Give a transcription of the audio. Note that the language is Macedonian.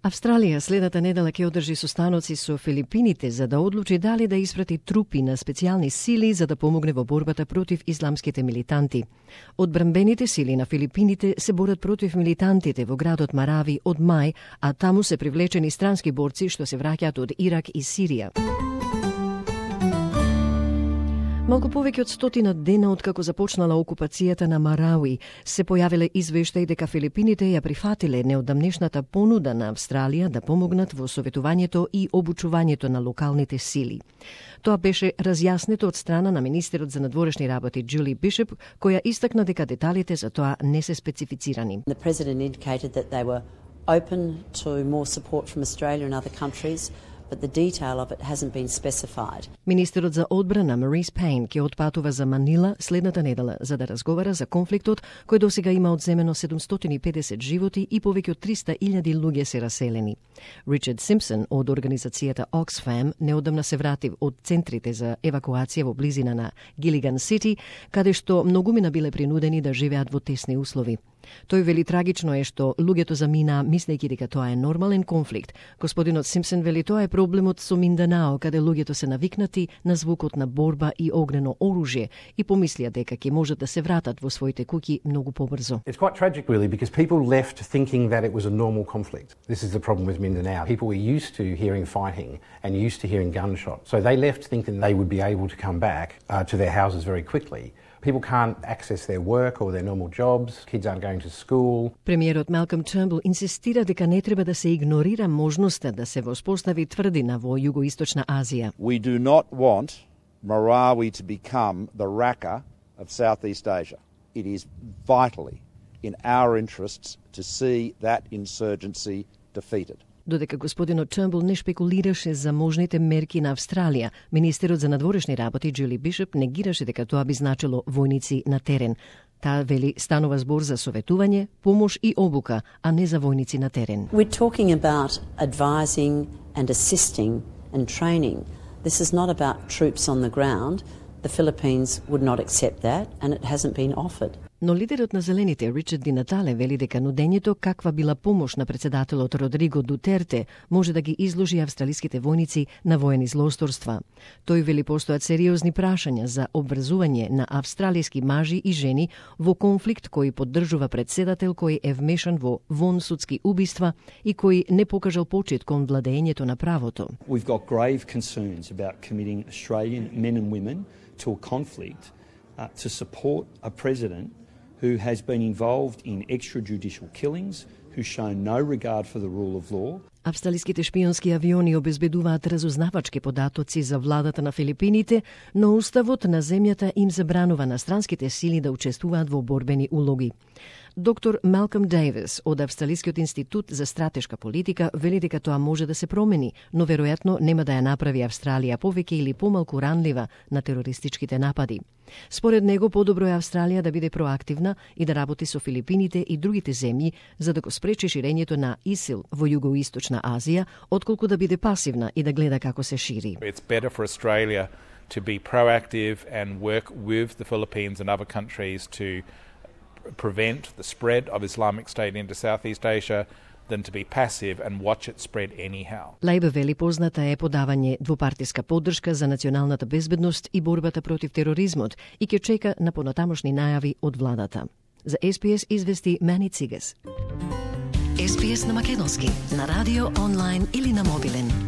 Австралија следната недела ќе одржи состаноци со Филипините за да одлучи дали да испрати трупи на специјални сили за да помогне во борбата против исламските милитанти. Одбранбените сили на Филипините се борат против милитантите во градот Марави од мај, а таму се привлечени странски борци што се враќаат од Ирак и Сирија. Малку повеќе од 100 дена откако започнала окупацијата на Марауи, се појавиле извештаи дека Филипините ја прифатиле неодамнешната понуда на Австралија да помогнат во советувањето и обучувањето на локалните сили. Тоа беше разјаснето од страна на министерот за надворешни работи Джули Бишоп, која истакна дека деталите за тоа не се специфицирани. The president indicated that they were open to more support from Australia and other countries, but the detail of it hasn't been specified. Министерот за одбрана Марис Пейн ќе отпатува за Манила следната недела за да разговара за конфликтот кој досега има одземено 750 животи и повеќе од 300,000 луѓе се раселени. Ричард Симпсон од организацијата Oxfam неодамна се врати од центрите за евакуација во близина на Гилиган Сити, каде што многумина биле принудени да живеат во тесни услови. Тој вели трагично е што луѓето заминаа мислејќи дека тоа е нормален конфликт. Господинот Симпсон вели тоа е проблемот со Минданао, каде луѓето се навикнати на звукот на борба и огнено оружје и помислија дека ќе можат да се вратат во своите куќи многу побрзо. It's quite tragic really because people left thinking that it was a normal conflict. This is the problem with Mindanao. People were used to hearing fighting and used to hearing gunshots. So they left thinking they would be able to come back to their houses very quickly. People can't access their work or their normal jobs. Kids aren't going to school. Премиерот Малком Тернбул инсистира дека не треба да се игнорира можноста да се воспостави тврдина во Југоисточна Азија. We do not want Marawi to become the Raqqa of Southeast Asia. It is vitally in our interests to see that insurgency defeated. Додека господинот Тернбул не шпекулираше за можните мерки на Австралија, министерот за надворешни работи Джули Бишоп негираше дека тоа би значило војници на терен. Таа вели станува збор за советување, помош и обука, а не за војници на терен. We're talking about advising and assisting and training. This is not about troops on the ground. The Philippines would not accept that and it hasn't been offered. Но лидерот на Зелените, Ричард Ди Натале, вели дека нудењето каква била помош на председателот Родриго Дутерте може да ги изложи австралиските војници на воени злосторства. Тој вели постојат сериозни прашања за обврзување на австралиски мажи и жени во конфликт кој поддржува председател кој е вмешан во вонсудски убиства и кој не покажал почит кон владењето на правото. We've got grave concerns about committing Australian men and women to a conflict to support a president who has been involved in extrajudicial killings, who's shown no regard for the rule of law. Австралиските шпионски авиони обезбедуваат разузнавачки податоци за владата на Филипините, но уставот на земјата им забранува на странските сили да учествуваат во борбени улоги. Доктор Малком Дейвис од Австралискиот институт за стратешка политика вели дека тоа може да се промени, но веројатно нема да ја направи Австралија повеќе или помалку ранлива на терористичките напади. Според него, подобро е Австралија да биде проактивна и да работи со Филипините и другите земји за да го спречи ширењето на ИСИЛ во Југоисточна Азија, отколку да биде пасивна и да гледа како се шири. It's better for Australia to be proactive and work with the Philippines and other countries to prevent the spread of Islamic State into Southeast Asia than to be passive and watch it spread anyhow. Лајбе вели позната е подавање двупартиска поддршка за националната безбедност и борбата против тероризмот и ќе чека на понатамошни најави од владата. За SPS извести Мани Цигас. SPS на македонски, на радио, онлайн или на мобилен.